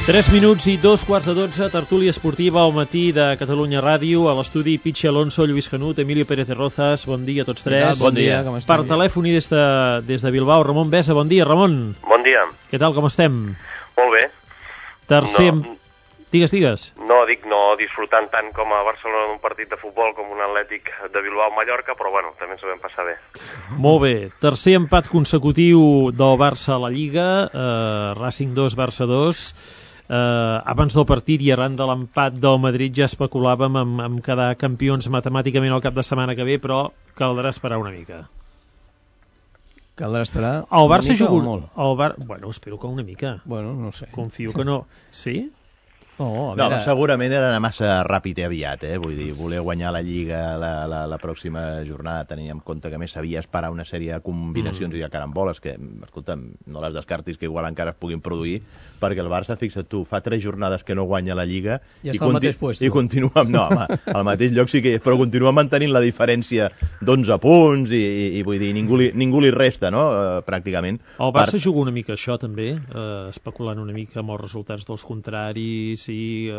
3 minuts i 2:15, tertúlia esportiva al matí de Catalunya Ràdio, a l'estudi Pichi Alonso, Lluís Canut, Emilio Pérez de Rozas. Bon dia a tots tres. Bon dia, com estem? Per telèfon i des de Bilbao, Ramon Besa. Bon dia, Ramon. Bon dia. Què tal, com estem? Molt bé. Tercer... Digues. No disfrutant tant com a Barcelona en un partit de futbol com un Atlètic de Bilbao-Mallorca, però bueno, també ens ho vam passar bé. Molt bé. Tercer empat consecutiu del Barça a la Lliga, Racing 2, Barça 2. Abans del partit i arran de l'empat del Madrid ja especulàvem amb quedar campions matemàticament el cap de setmana que ve, però caldrà esperar una mica. Caldrà esperar el Barça una mica juga... o molt? Bueno, espero que una mica. Bueno, no sé. Confio que no. Sí? No, segurament era anar massa ràpid i aviat, vull dir, voler guanyar la Lliga la pròxima jornada, tenint en compte que més s'havia esperar una sèrie de combinacions i de caramboles que, escolta'm, no les descartis, que igual encara es puguin produir, perquè el Barça, fixa't tu, fa 3 jornades que no guanya la Lliga i està al mateix puesto. I continua, no, home, al mateix lloc sí que és, però continua mantenint la diferència d'11 punts i vull dir, ningú li resta, no?, pràcticament. El Barça juga una mica això també, especulant una mica amb els resultats dels contraris, i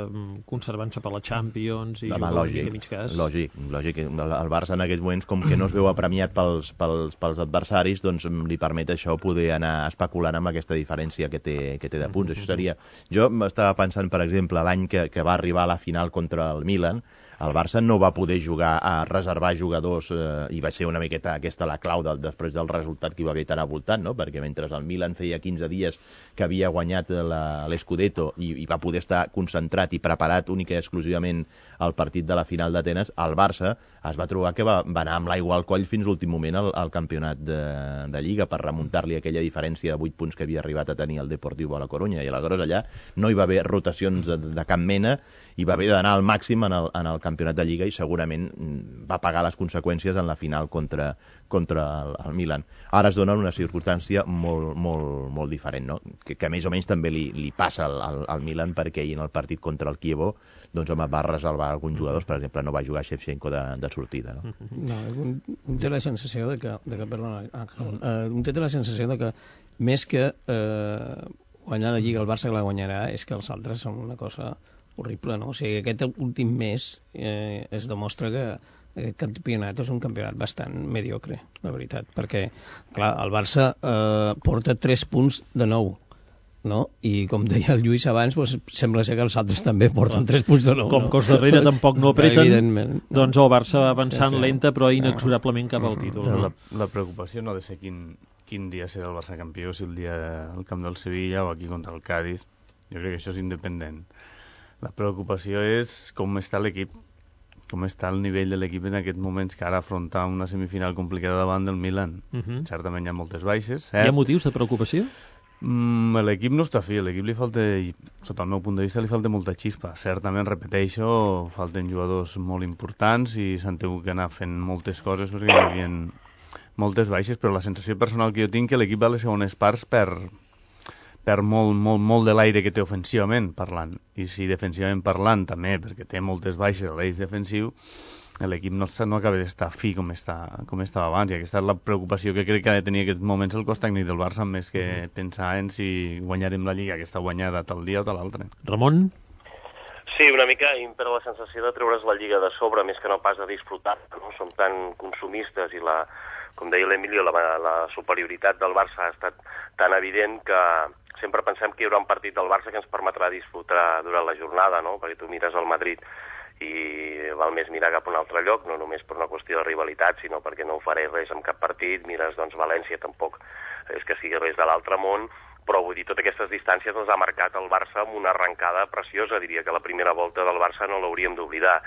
conservant-se per la Champions i jugant una mica a mig cas. Lògic. El Barça en aquests moments, com que no es veu apremiat pels adversaris, doncs li permet això poder anar especulant amb aquesta diferència que té de punts. Això seria... Jo estava pensant, per exemple, l'any que va arribar a la final contra el Milan, el Barça no va poder jugar a reservar jugadors i va ser una miqueta aquesta la clau després del resultat que hi va haver tan avoltant, no? Perquè mentre el Milan feia 15 dies que havia guanyat l'Scudetto i va poder estar concentrat i preparat única i exclusivament al partit de la final d'Atenes, el Barça es va trobar que va anar amb l'aigua al coll fins l'últim moment al campionat de Lliga per remuntar-li aquella diferència de 8 punts que havia arribat a tenir el Deportivo a la Corunya, i aleshores allà no hi va haver rotacions de cap mena i va haver d'anar al màxim en el campionat de Lliga i segurament va pagar les conseqüències en la final contra el Milan. Ara es dona una circumstància molt diferent, no? Que més o menys també li passa al Milan, perquè ahir en el partit contra el Chievo doncs home, va reservar alguns jugadors, per exemple no va jugar Shevchenko de sortida, no? Un té la sensació de que més que guanyar la Lliga el Barça que la guanyarà és que els altres són una cosa horrible, no? O sigui, aquest últim mes es demostra que aquest campionat és un campionat bastant mediocre, la veritat, perquè, clar, el Barça porta 3 punts de 9, no? I com deia el Lluís abans, doncs, sembla ser que els altres també porten 3 punts de 9. Com que els darrere tampoc no apreten, doncs el Barça va avançant lenta però inexorablement cap al títol. La preocupació no ha de ser quin dia serà el Barça campió, si el dia al camp del Sevilla o aquí contra el Cádiz. Jo crec que això és independent. La preocupació és com està l'equip, com està el nivell de l'equip en aquests moments que ara afronta una semifinal complicada davant del Milan. Certament hi ha moltes baixes. Hi ha motius de preocupació? L'equip no està fi, l'equip li falta, sota el meu punt de vista, li falta molta xispa. Certament, repeteixo, falten jugadors molt importants i s'han tingut que anar fent moltes coses perquè hi havia moltes baixes, però la sensació personal que jo tinc que l'equip a les segones parts perd molt de l'aire que té ofensivament parlant, i si defensivament parlant també, perquè té moltes baixes a l'eix defensiu, l'equip no acaba d'estar fi com estava abans, i aquesta és la preocupació que crec que ha de tenir aquests moments el cos tècnic del Barça, més que pensar en si guanyarem la Lliga que està guanyada tal dia o tal altre. Ramon? Sí, una mica impera la sensació de treure's la Lliga de sobre, més que no pas de disfrutar, no? Som tan consumistes i com deia l'Emilio, la superioritat del Barça ha estat tan evident que sempre pensem que hi haurà un partit del Barça que ens permetrà disfrutar durant la jornada, no? Perquè tu mires el Madrid i val més mirar cap a un altre lloc, no només per una qüestió de rivalitat, sinó perquè no ho faré res en cap partit. Mires, doncs, València tampoc és que sigui res de l'altre món, però vull dir, totes aquestes distàncies les ha marcat el Barça amb una arrencada preciosa. Diria que la primera volta del Barça no l'hauríem d'oblidar.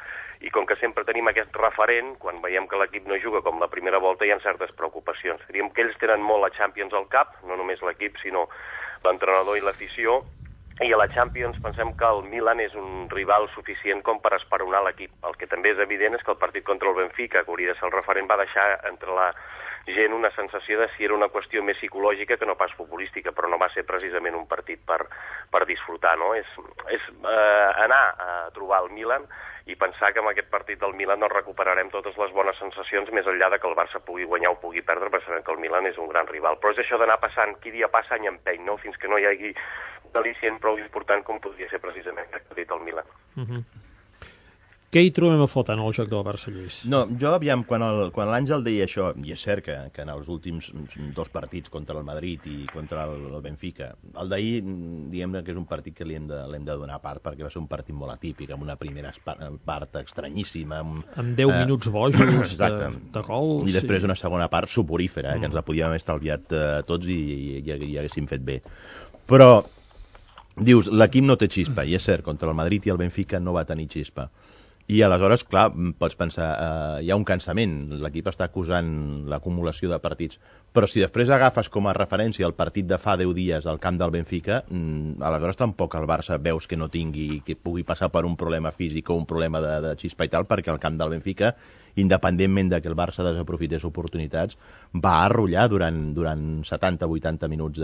I com que sempre tenim aquest referent, quan veiem que l'equip no juga com la primera volta, hi ha certes preocupacions. Diríem que ells tenen molt la Champions al cap, no només l'equip, sinó l'entrenador i l'afició, i a la Champions pensem que el Milan és un rival suficient com per esperonar l'equip. El que també és evident és que el partit contra el Benfica, que hauria de ser el referent, va deixar entre la gent una sensació de si era una qüestió més psicològica que no pas futbolística, però no va ser precisament un partit per disfrutar, no? És anar a trobar el Milan i pensar que amb aquest partit del Milan no recuperarem totes les bones sensacions, més enllà de que el Barça pugui guanyar o pugui perdre, perquè sabem que el Milan és un gran rival. Però és això d'anar passant, qui dia passa any empeny, no? Fins que no hi hagi al·licient prou important com podria ser precisament que ha dit el Milan. Què hi trobem a faltar en el joc del Barça, Lluís? No, jo, aviam, quan l'Àngel deia això, i és cert que en els últims 2 partits contra el Madrid i contra el Benfica, el d'ahir, diguem que és un partit que l'hem de donar a part, perquè va ser un partit molt atípic, amb una primera part estranyíssima. Amb 10 minuts bojos de gol. I després una segona part soporífera, que ens la podíem haver estalviat tots i haguéssim fet bé. Però, dius, l'equip no té xispa, i és cert, contra el Madrid i el Benfica no va tenir xispa. I aleshores, clar, pots pensar, hi ha un cansament, l'equip està acusant l'acumulació de partits, però si després agafes com a referència el partit de fa 10 dies al camp del Benfica, aleshores tampoc el Barça veus que no tingui, que pugui passar per un problema físic o un problema de xispa i tal, perquè el camp del Benfica, independentment de que el Barça desaprofités oportunitats, va arrollar durant 70-80 minuts,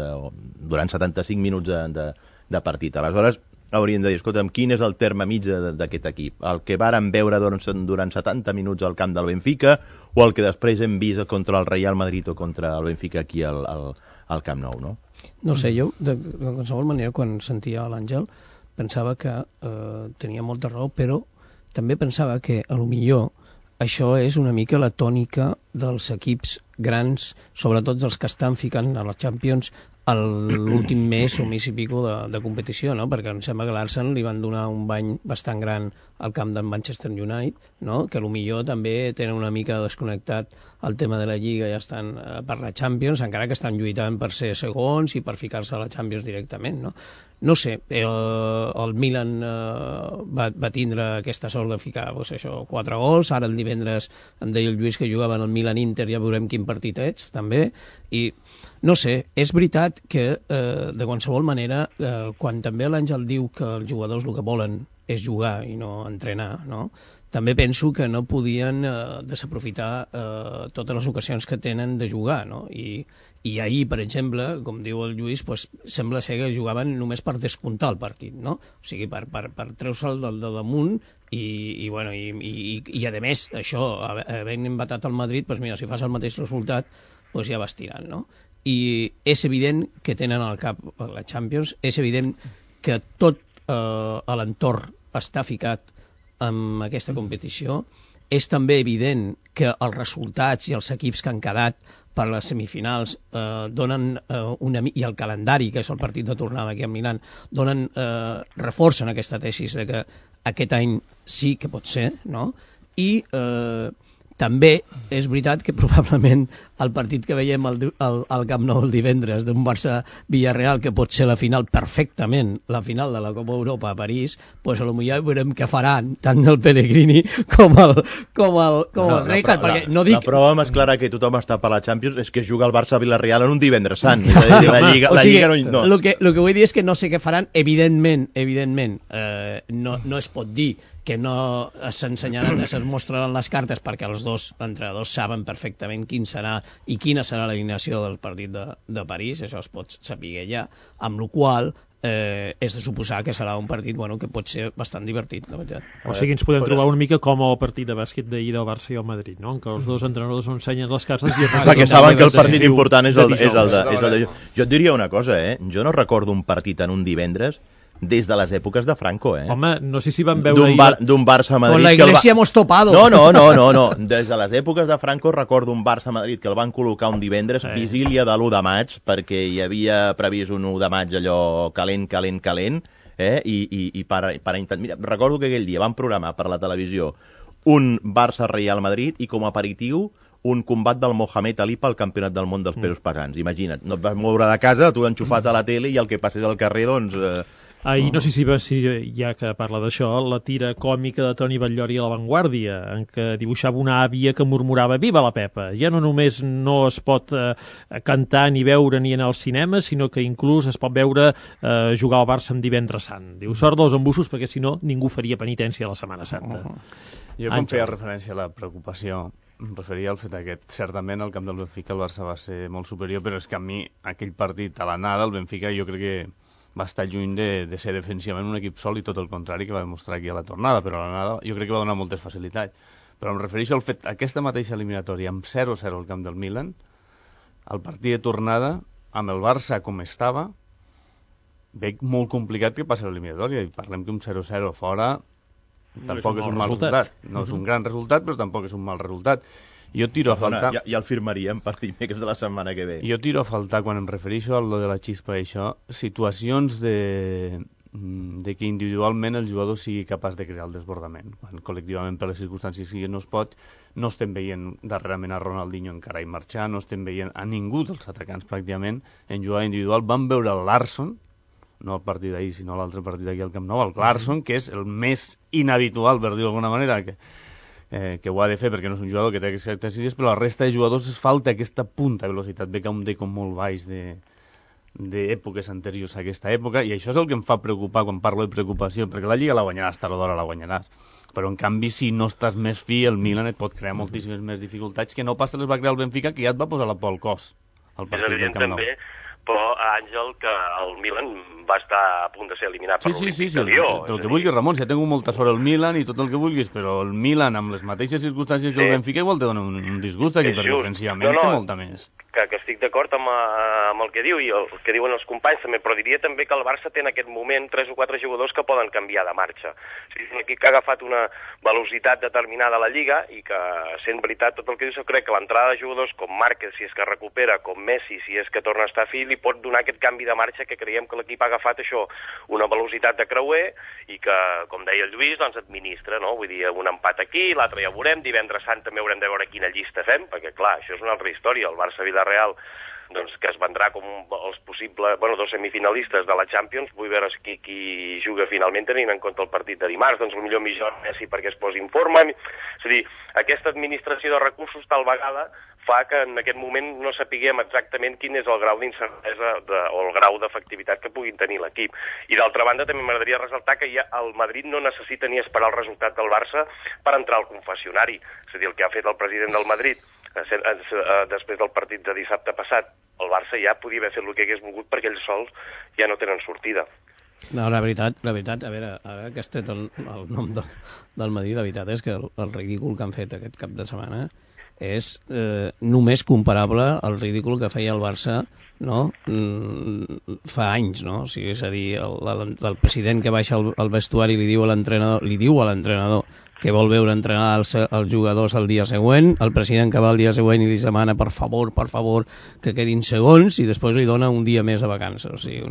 durant 75 minuts de partit. Aleshores, hauríem de dir, escolta'm, quin és el terme mig d'aquest equip? El que vàrem veure durant 70 minuts al camp del Benfica o el que després hem vist contra el Real Madrid o contra el Benfica aquí al Camp Nou, no? No sé, jo, de qualsevol manera, quan sentia l'Àngel, pensava que tenia molta raó, però també pensava que, a lo millor, això és una mica la tònica dels equips grans, sobretot els que estan ficant a les Champions a l'últim mes o mes i pico de competició, no? Perquè em sembla que l'Arsenal li van donar un bany bastant gran al camp del Manchester United, no? Que potser també tenen una mica desconnectat el tema de la Lliga i estan per la Champions, encara que estan lluitant per ser segons i per ficar-se a la Champions directament, no? No sé, el Milan va tindre aquesta sort de ficar 4 gols, ara el divendres em deia el Lluís que jugaven el Milan-Inter, ja veurem quin partit ets, també, i no sé, és veritat que de qualsevol manera, quan també l'Àngel diu que els jugadors el que volen és jugar i no entrenar, no? També penso que no podien desaprofitar totes les ocasions que tenen de jugar, no? I ahir, per exemple, com diu el Lluís, pues, sembla ser que jugaven només per descomptar el partit, no? O sigui, per treure-se'l de damunt i a més, això, havent empatat el Madrid, pues mira, si fas el mateix resultat, pues ja vas tirant, no? I és evident que tenen al cap la Champions, és evident que tot l'entorn està ficat en aquesta competició, és també evident que els resultats i els equips que han quedat per les semifinals donen i el calendari, que és el partit de tornada aquí a Milán, reforcen aquesta tesis de que aquest any sí que pot ser, no? I també és veritat que probablement el partit que veiem al Camp Nou el divendres d'un Barça-Villarreal, que pot ser la final perfectament, la final de la Copa Europa a París, pues a lo millor veurem què faran tant el Pellegrini com el Rijkaard, perquè no dic... La prova més clara que tothom està per la Champions és que juga el Barça-Villarreal en un divendres sant. És a dir, la Lliga no... El que vull dir és que no sé què faran, evidentment, no es pot dir que no s'ensenyaran, es mostraran les cartes perquè els dos entrenadors saben perfectament quina serà l'alineació del partit de París, això es pot saber ja, amb la qual és de suposar que serà un partit que pot ser bastant divertit, la veritat. O sigui, ens podem trobar una mica com el partit de bàsquet d'ahir del Barça i el Madrid, no? En què els dos entrenadors no ensenyen les cartes i... Perquè saben que el partit important és el de... Jo et diria una cosa, jo no recordo un partit en un divendres des de les èpoques de Franco, Home, no sé si van veure... D'un Barça-Madrid... Con la Iglesia hemos topado. No. Des de les èpoques de Franco recordo un Barça-Madrid que el van col·locar un divendres, vigília de l'1 de maig, perquè hi havia previst un 1 de maig allò calent, i per intentar... Mira, recordo que aquell dia van programar per la televisió un Barça-Real Madrid i com a aperitiu un combat del Mohamed Ali pel campionat del món dels pesos pesants. Imagina't, no et vas moure de casa, tu enxufat a la tele i el que passés al carrer, doncs... I no sé si ja que parla d'això, la tira còmica de Toni Batllori a La Vanguardia, en què dibuixava una àvia que murmurava «Viva la Pepa!». Ja no només no es pot cantar ni veure ni anar al cinema, sinó que inclús es pot veure jugar al Barça en divendres sant. Diu, sort dels embussos, perquè si no ningú faria penitència a la Setmana Santa. Jo com feia referència a la preocupació, em referia al fet aquest. Certament al camp del Benfica el Barça va ser molt superior, però és que a mi aquell partit a l'anada, el Benfica, jo crec que va estar lluny de ser defensivament un equip sòlid, tot el contrari que va demostrar aquí a la tornada, però a l'anada jo crec que va donar moltes facilitats. Però em refereixo al fet, aquesta mateixa eliminatòria, amb 0-0 al camp del Milan, el partit de tornada, amb el Barça com estava, veig molt complicat que passi l'eliminatòria, i parlem que un 0-0 fora tampoc és un mal resultat. No és un gran resultat, però tampoc és un mal resultat. Jo tiro a faltar... Ja el firmaríem per dimecres de la setmana que ve. Jo tiro a faltar, quan em refereixo a lo de la xispa i això, situacions de que individualment el jugador sigui capaç de crear el desbordament. Quan col·lectivament, per les circumstàncies que no es pot, no estem veient darrerament a Ronaldinho encara i marxar, no estem veient a ningú dels atacants pràcticament en jugada individual. Vam veure el Larsson, no el partit d'ahir, sinó l'altre partit aquí al Camp Nou, el Larsson, que és el més inhabitual, per dir-ho d'alguna manera, que ho ha de fer perquè no és un jugador que té aquestes característiques, però la resta de jugadors es falta aquesta punta de velocitat. Ve que un deco molt baix d'èpoques anteriors a aquesta època, i això és el que em fa preocupar quan parlo de preocupació, perquè la Lliga la guanyaràs, tard o d'hora la guanyaràs. Però, en canvi, si no estàs més fi, el Milan et pot crear moltíssimes més dificultats que no pas te les va crear el Benfica, que ja et va posar la por al cos al partit del Camp Nou. També, però, Àngel, que el Milan va estar a punt de ser eliminat per l'Olímpic de Lió. El que vulguis, Ramon, si ja tinc molta sort el Milan i tot el que vulguis, però el Milan, amb les mateixes circumstàncies que el Benfica, igual te dona un disgust aquí, perquè ofensivament té molta més. Que estic d'acord amb el que diu i el que diuen els companys també, però diria també que el Barça té en aquest moment 3 o 4 jugadors que poden canviar de marxa. O sigui, aquí que ha agafat una velocitat determinada a la Lliga i que, sent veritat tot el que dius, jo crec que l'entrada de jugadors com Márquez, si és que recupera, com Messi, si és que torna a estar fi, li pot donar aquest canvi de marxa que creiem que l'equip ha agafat això, una velocitat de creuer i que, com deia el Lluís, doncs administra, no? Vull dir, un empat aquí, l'altre ja veurem, divendres sant també haurem de veure quina llista fem, perquè clar, això és una altra història, el Barça-Villarreal, doncs, que es vendrà com els possibles, dos semifinalistes de la Champions. Vull veure qui juga finalment tenint en compte el partit de dimarts, doncs potser millor Messi perquè es posi en forma. És a dir, aquesta administració de recursos tal vegada fa que en aquest moment no sapiguem exactament quin és el grau d'incertesa o el grau d'efectivitat que puguin tenir l'equip. I d'altra banda també m'agradaria ressaltar que ja el Madrid no necessita ni esperar el resultat del Barça per entrar al confessionari. És a dir, el que ha fet el president del Madrid després del partit de dissabte passat, el Barça ja podia haver fet el que hagués volgut perquè ells sols ja no tenen sortida. No, la veritat, a veure que has tret el nom del Madrid, la veritat és que el ridícul que han fet aquest cap de setmana és només comparable al ridícul que feia el Barça, no? Fa anys, no? O sigui, és a dir, el president que baixa al vestuari li diu a l'entrenador que vol veure entrenar els jugadors el dia següent, el president que va el dia següent i li demana per favor que quedin segons, i després li dona un dia més de vacances. O sigui,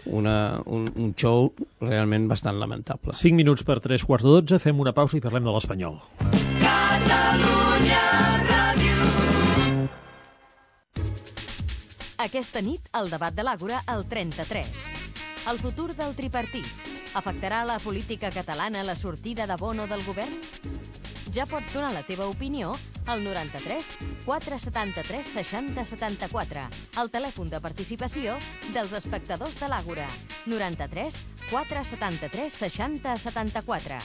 un show realment bastant lamentable. 5 minuts per 3:15, fem una pausa i parlem de l'Espanyol. Catalunya Ràdio. Aquesta nit, el debat de l'Àgora al 33. El futur del tripartit. Afectarà la política catalana la sortida de Bono del govern? Ja pots donar la teva opinió al 93 473 60 74, el telèfon de participació dels espectadors de l'Àgora. 93 473 60 74.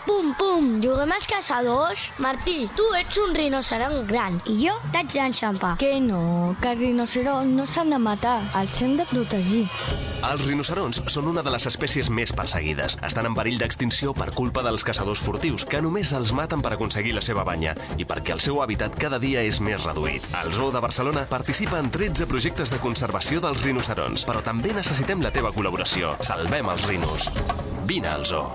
Pum, pum, juguem als caçadors? Martí, tu ets un rinoceront gran i jo t'haig d'enxampar. Que no, que els rinoceronts no s'han de matar, els hem de protegir. Els rinoceronts són una de les espècies més perseguides. Estan en perill d'extinció per culpa dels caçadors furtius, que només els maten per aconseguir la seva banya i perquè el seu hàbitat cada dia és més reduït. El Zoo de Barcelona participa en 13 projectes de conservació dels rinoceronts, però també necessitem la teva col·laboració. Salvem els rinos. Vine al Zoo.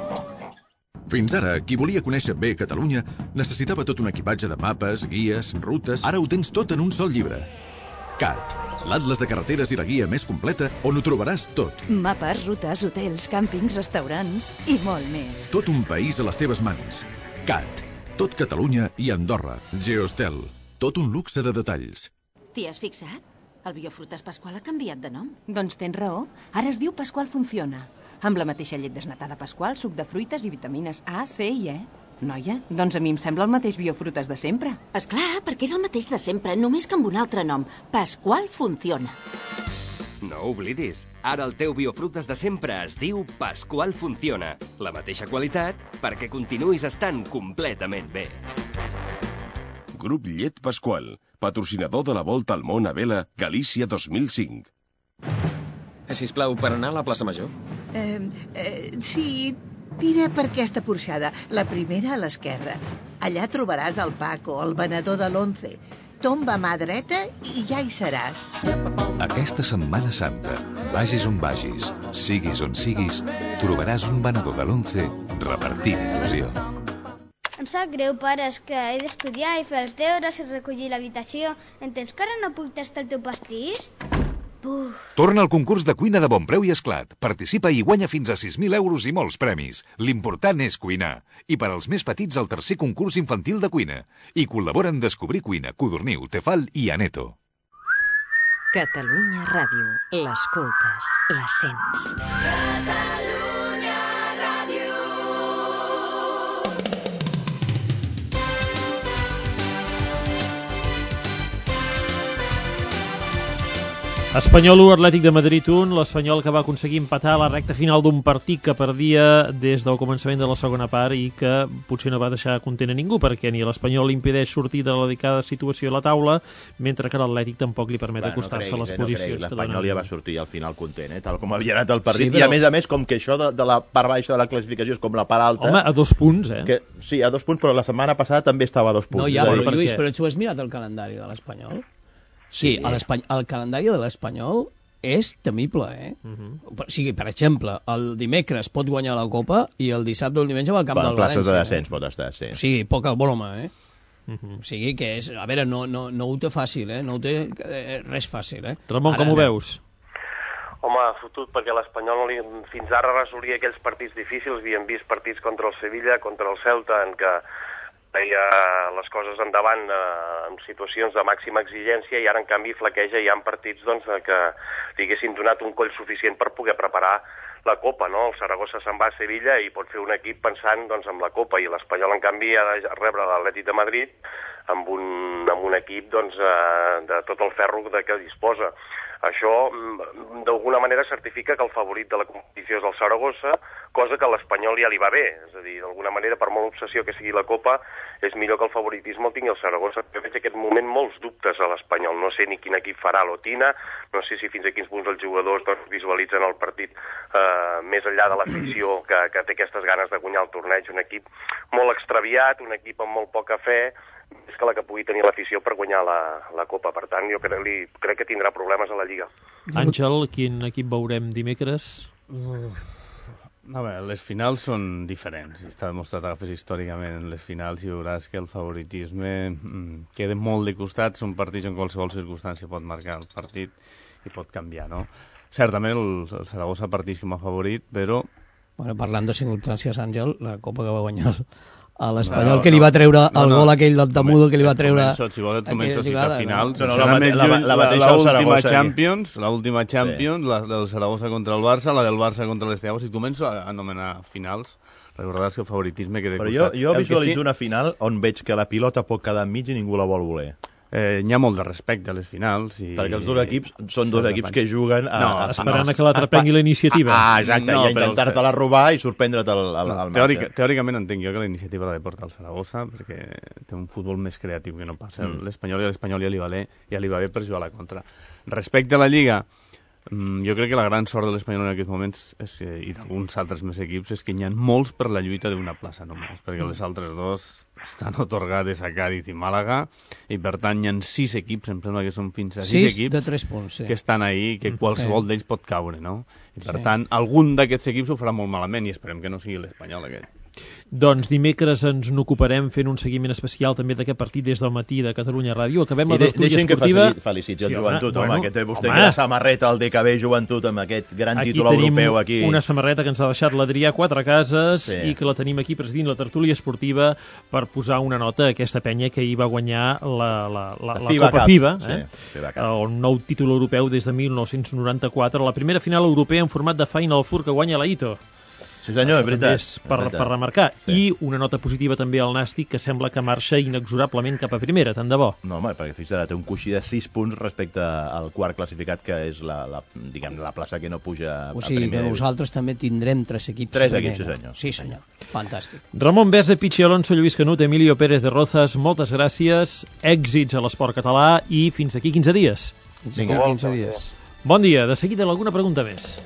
Fins ara, qui volia conèixer bé Catalunya necessitava tot un equipatge de mapes, guies, rutes... Ara ho tens tot en un sol llibre. CAT, l'atles de carreteres i la guia més completa on ho trobaràs tot. Mapes, rutes, hotels, càmpings, restaurants i molt més. Tot un país a les teves mans. CAT, tot Catalunya i Andorra. Geostel, tot un luxe de detalls. T'hi has fixat? El Biofrutes Pasqual ha canviat de nom. Doncs tens raó. Ara es diu Pasqual Funciona. Amb la mateixa llet desnatada Pasqual, suc de fruites i vitamines A, C i E. Noia, doncs a mi em sembla el mateix Biofrutes de sempre. Esclar, perquè és el mateix de sempre, només que amb un altre nom. Pasqual Funciona. No oblidis, ara el teu Biofrutes de sempre es diu Pasqual Funciona. La mateixa qualitat perquè continuïs estant completament bé. Grup Llet Pasqual, patrocinador de la Volta al Món a Vela, Galícia 2005. Sisplau, per anar a la plaça Major? Sí, tira per aquesta porxada, la primera a l'esquerra. Allà trobaràs el Paco, el venedor de l'11. tomba mà dreta i ja hi seràs. Aquesta Setmana Santa, vagis on vagis, siguis on siguis, trobaràs un venedor de l'11 repartint il·lusió. Em sap greu, pare, és que he d'estudiar i fer els deures i recollir l'habitació. Entens que ara no puc tastar el teu pastís? Torna al concurs de cuina de bon preu i esclat. Participa i guanya fins a 6.000 euros i molts premis. L'important és cuinar. I per als més petits, el tercer concurs infantil de cuina. I col·laboren Descobrir Cuina, Codorniu, Tefal i Aneto. Catalunya Ràdio. L'escoltes, la sents. Catalunya Ràdio. Espanyol 1, Atlètic de Madrid 1, l'Espanyol que va aconseguir empatar a la recta final d'un partit que perdia des del començament de la segona part i que potser no va deixar content a ningú, perquè ni l'Espanyol li impedeix sortir de la delicada situació a la taula, mentre que l'Atlètic tampoc li permet acostar-se a les posicions. L'Espanyol ja va sortir al final content, tal com havia anat el partit, sí, però... i a més, com que això de la part baixa de la classificació és com la part alta... Home, a 2 punts, Que, sí, a 2 punts, però la setmana passada també estava a 2 punts. No, ja, però Lluís, però tu has mirat el calendari de l'Espanyol? Sí, el calendari de l'Espanyol és temible, O sigui, per exemple, el dimecres pot guanyar la Copa i el dissabte o el diumenge va al camp del València. Places de descens pot estar, sí. O sigui, poca broma, O sigui que és... A veure, no ho té fàcil, No ho té res fàcil, Ramon, com ho veus? Home, fotut, perquè l'Espanyol fins ara resolia aquells partits difícils. Havíem vist partits contra el Sevilla, contra el Celta, en què feia les coses endavant en situacions de màxima exigència i ara en canvi flaqueja i hi ha partits que li haguessin donat un coll suficient per poder preparar la Copa, no? El Saragossa se'n va a Sevilla i pot fer un equip pensant en la Copa i l'Espanyol en canvi ha de rebre l'Atlètic de Madrid amb un equip de tot el ferro de què disposa. Això, d'alguna manera, certifica que el favorit de la competició és el Saragossa, cosa que a l'Espanyol ja li va bé. És a dir, d'alguna manera, per molt obsessió que sigui la Copa, és millor que el favoritisme el tingui el Saragossa. Jo veig aquest moment molts dubtes a l'Espanyol. No sé ni quin equip farà l'Otina, no sé si fins a quins punts els jugadors visualitzen el partit més enllà de l'afició que té aquestes ganes de guanyar el torneig. Un equip molt extraviat, un equip amb molt poca fe, és que la que pugui tenir l'afició per guanyar la Copa. Per tant, jo crec que tindrà problemes a la Lliga. Àngel, quin equip veurem dimecres? A veure, les finals són diferents. Està demostrat que agafes històricament les finals i veuràs que el favoritisme queda molt de costat. Són partits en qualsevol circumstància pot marcar el partit i pot canviar, no? Certament el Saragossa partits com a favorit, però... Bueno, parlant de circumstàncies, Àngel, la Copa que va guanyar a l'Espanyol, que li va treure el gol aquell del Tamudo, que li va treure... Si vols et començo a citar finals. L'última Champions, la del Saragossa contra el Barça, la del Barça contra l'Esteaua. Si començo a anomenar finals, recordaràs que el favoritisme queda costat. Però jo visualitzo una final on veig que la pilota pot quedar enmig i ningú la vol voler. Hi ha molt de respecte a les finals. Perquè els dos equips són dos equips que juguen esperant que l'altre prengui la iniciativa. Exacte, i a intentar-te-la robar i sorprendre't al marge. Teòricament entenc jo que la iniciativa l'ha de portar el Saragossa, perquè té un futbol més creatiu que no passa. L'Espanyol ja li va bé per jugar a la contra. Respecte a la Lliga, jo crec que la gran sort de l'Espanyol en aquests moments i d'alguns altres més equips és que hi ha molts per la lluita d'una plaça només, perquè les altres dos estan otorgades a Cádiz i Màlaga i per tant hi ha 6 equips, em sembla que són fins a 6 equips de 3 punts, que estan ahí, que qualsevol d'ells pot caure, no? I per tant algun d'aquests equips ho farà molt malament i esperem que no sigui l'Espanyol aquest. Doncs dimecres ens n'ocuparem fent un seguiment especial també d'aquest partit des del matí de Catalunya Ràdio. Acabem la tertúlia esportiva. Deixem que feliciti el Joventut, que té vostè la samarreta al DKB Joventut amb aquest gran títol europeu aquí. Aquí tenim una samarreta que ens ha deixat l'Adrià Quatrecases i que la tenim aquí presidint la tertúlia esportiva per posar una nota a aquesta penya que hi va guanyar la Copa FIBA, un nou títol europeu des de 1994, la primera final europea en format de Final Four que guanya la Ito. Sí senyor, és veritat. Per remarcar. I una nota positiva també al Nàstic, que sembla que marxa inexorablement cap a primera, tant de bo. No, home, perquè fixa't, té un coixí de 6 punts respecte al quart classificat, que és la plaça que no puja a primera. O sigui que nosaltres també tindrem 3 equips. 3 equips, sí senyor. Sí senyor, fantàstic. Ramon Besa, Pichi Alonso, Lluís Canut, Emilio Pérez de Rozas, moltes gràcies, èxits a l'esport català i fins aquí 15 dies. Fins aquí 15 dies. Bon dia, de seguida alguna pregunta més.